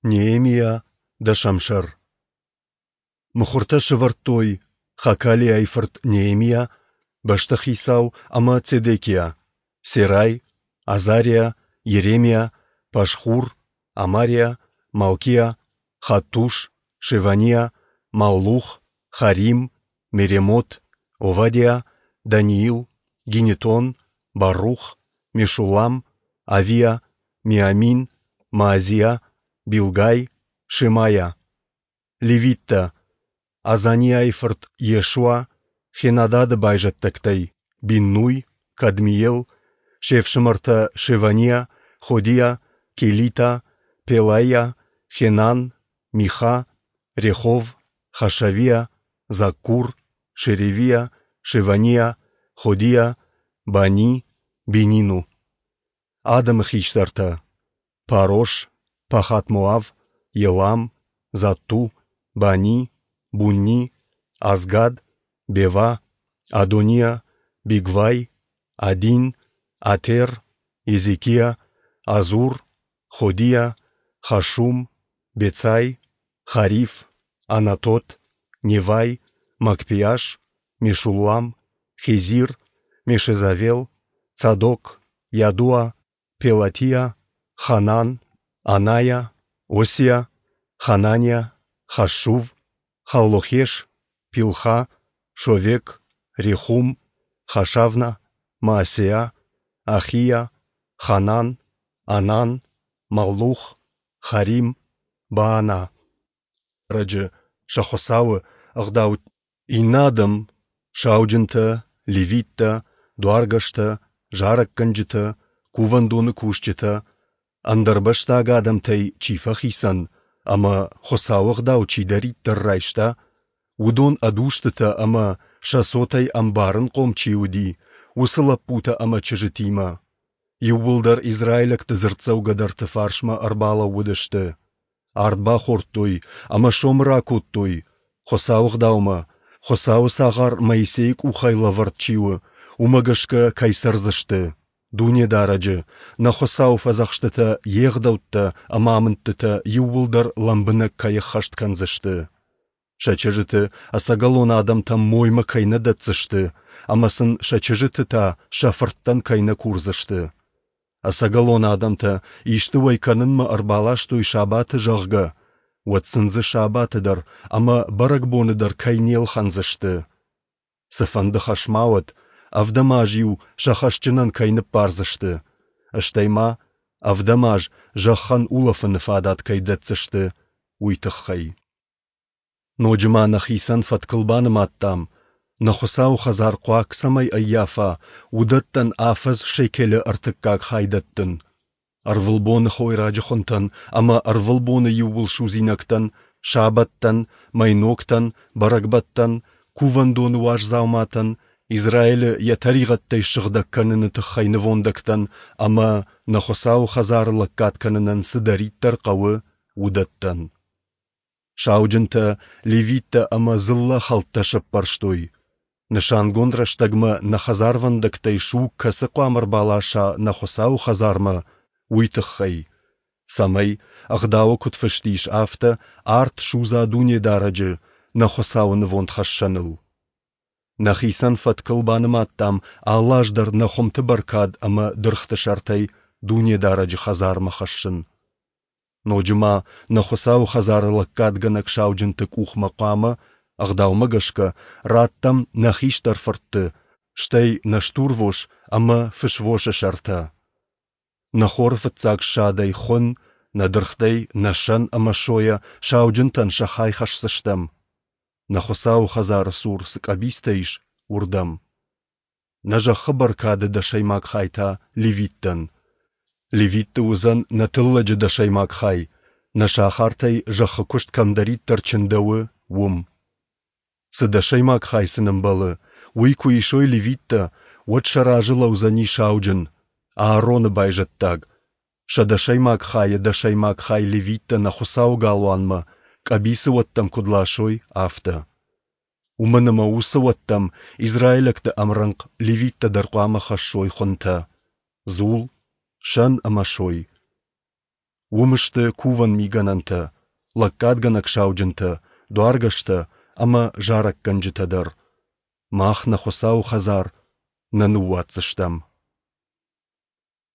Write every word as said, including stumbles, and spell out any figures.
Неемиа, дӕсӕм сӕр. Мыхуыртӕ сӕвӕрдтой Хакалиайы фырт Неемиа, бӕстыхицау, ӕмӕ Цедекиа, Серай, Азариа, Йеремиа, Пашхур, Амариа, Малкиа, Хаттуш, Шеваниа, Маллух, Харим, Меремот, Овадиа, Даниил, Гинетон, Барух, Мешуллам, Авиа, Миамин, Маазиа, Билгай, Шемайа. Левиттӕ: Азаниайы фырт Йешуа, Хенадады байзӕддӕгтӕй: Биннуй, Кадмиел, се фсымӕртӕ Шеваниа, Ходиа, Келита, Пелаиа, Хенан, Миха, Рехов, Хашавиа, Заккур, Шеревиа, Шеваниа, Ходиа, Бани, Бенину. Адӕмы хистӕртӕ: Парош, Пахат-Моав, Елам, Затту, Бани, Бунни, Азгад, Бева, Адониа, Бигвай, Адин, Атер, Езекиа, Азур, Ходиа, Хашум, Бецай, Хариф, Анатот, Невай, Магпиаш, Мешуллам, Хезир, Мешезавел, Цадок, Йадуа, Пелатиа, Ханан, Анайа, Осиа, Хананиа, Хашшув, Халлохеш, Пилха, Шовек, Рехум, Хашавна, Маасеа, Ахиа, Ханан, Анан, Маллух, Харим, Баана. Раджы сӕ Хуыцауы ӕгъдау Иннӕ адӕм, сауджынтӕ, левиттӕ, дуаргӕстӕ, зарӕггӕнджытӕ, кувӕндоны кусджытӕ, ӕндӕрбӕстаг адӕмтӕй чи фӕхицӕн ӕмӕ Хуыцауы Ӕгъдау чидӕриддӕр райста, уыдон ӕд устытӕ ӕмӕ, сӕ цотӕй ӕмбарынхъом чи уыди, уыцы лӕппутӕ ӕмӕ чызджытимӕ, иууылдӕр израилӕгты дзырддзӕугӕдӕрты фарсмӕ ӕрбалӕууыдысты. Ард бахордтой ӕмӕ сомы ракодтой, Хуыцауы Ӕгъдаумӕ, Хуыцауы цагъар Моисейы къухӕй лӕвӕрд чи у, уымӕ гӕсгӕ кӕй цӕрдзысты, Дунедарӕджы, нӕ Хуыцауы фӕдзӕхстытӕ, Йе гъдӕуттӕ ӕмӕ амындтытӕ иууылдӕр лӕмбынӕг кӕй ӕххӕст кӕндзысты. Сӕ чызджыты ӕцӕгӕлон адӕмтӕм моймӕ кӕй нӕ дӕтдзысты ӕмӕ сын сӕ чызджыты та сӕ фырттӕн кӕй нӕ курдзысты. Ӕцӕгӕлон адӕмтӕ исты уӕй кӕнынмӕ ӕрбаластой сабаты, зӕгъгӕ, уӕд сын дзы сабаты дӕр ӕмӕ бӕрӕгбоны дӕр кӕй не лхӕндзысты. Цыфӕнды хӕс ма уӕд, ӕвдӕм аз-иу сӕ хӕсджынӕн кӕй ныббардзысты, стӕй ма ӕвдӕм аз зӕххӕн улӕфыны фадат кӕй дӕтдзысты, уый тыххӕй. Ноджы ма нӕхицӕн фӕткыл банымадтам, нӕ Хуыцауы хӕдзар хъуаг цӕмӕй ӕййафа, уыдӕттӕн афӕдз шекелы ӕртыккаг хай дӕттын. Ӕрвылбоны хойраджы хуынтӕн ӕмӕ ӕрвылбоны иууылсудзинӕгтӕн, сабӕттӕн, мӕйногтӕн, бӕрӕгбӕттӕн, кувӕндоны уаз дзауматӕн, Израилы йӕ тӕригъӕдтӕй ссыгъдӕг кӕныны тыххӕй нывондӕгтӕн ӕмӕ, нӕ Хуыцауы хӕдзары лӕггад кӕнынӕн цыдӕриддӕр хъӕуы, уыдӕттӕн. Сауджынтӕ, левиттӕ ӕмӕ дзыллӕ хӕлттӕ сӕппӕрстой. Нысангонд рӕстӕгмӕ нӕ хӕдзарвӕндӕгтӕй суг кӕцы хъуамӕ ӕрбаласа нӕ Хуыцауы хӕдзармӕ, уый тыххӕй, цӕмӕй, Ӕгъдауы куыд фыст ис, афтӕ арт судза Дунедарӕджы, нӕ Хуыцауы нывондхӕссӕныл. Нӕхицӕн фӕткыл банымадтам алы аз дӕр нӕ хуымты бӕркад ӕмӕ дыргъты сӕртӕй Дунедарӕджы хӕдзармӕ хӕссын. Ноджы ма нӕ Хуыцауы хӕдзары лӕггадгӕнӕг сауджынты къухмӕ хъуамӕ, ӕгъдаумӕ гӕсгӕ, раттӕм нӕ хистӕр фыртты, стӕй нӕ стурвос ӕмӕ фысвосы сӕртӕ. Нӕ хоры фыццаг ссадӕй хуын, нӕ дыргътӕй нӕ сӕн ӕмӕ сойӕ сауджынтӕн сӕ хай хӕсдзыстӕм, нӕ Хуыцауы хӕдзары цур цы къӕбицтӕ ис, уырдӕм. Нӕ зӕххы бӕркады дӕсӕймаг хай та левиттӕн. Левитты уыдзӕн нӕ тыллӕджы дӕсӕймаг хай, нӕ сахартӕй зӕххы куыст кӕмдӕриддӕр чындӕуы, уым. Цы дӕсӕймаг хай сын ӕмбӕлы, уый куы исой левиттӕ, уӕд сӕ разы лӕудзӕни сауджын, Аароны байзӕддаг. Сӕ дӕсӕймаг хайы дӕсӕймаг хай левиттӕ нӕ Хуыцауы галуанмӕ, къӕбицы уӕттӕм куыд ласой, афтӕ. Уымӕн ӕмӕ уыцы уӕттӕм израилӕгты ӕмрӕнхъ левиттӕ дӕр хъуамӕ хӕссой хуынтӕ, дзул, сӕн ӕмӕ сой. Уым сты кувӕн мигӕнӕнтӕ, лӕггадгӕнӕг сауджынтӕ, дуаргӕстӕ ӕмӕ зарӕггӕнджытӕ дӕр. Мах нӕ Хуыцауы хӕдзар нӕ ныууадздзыстӕм.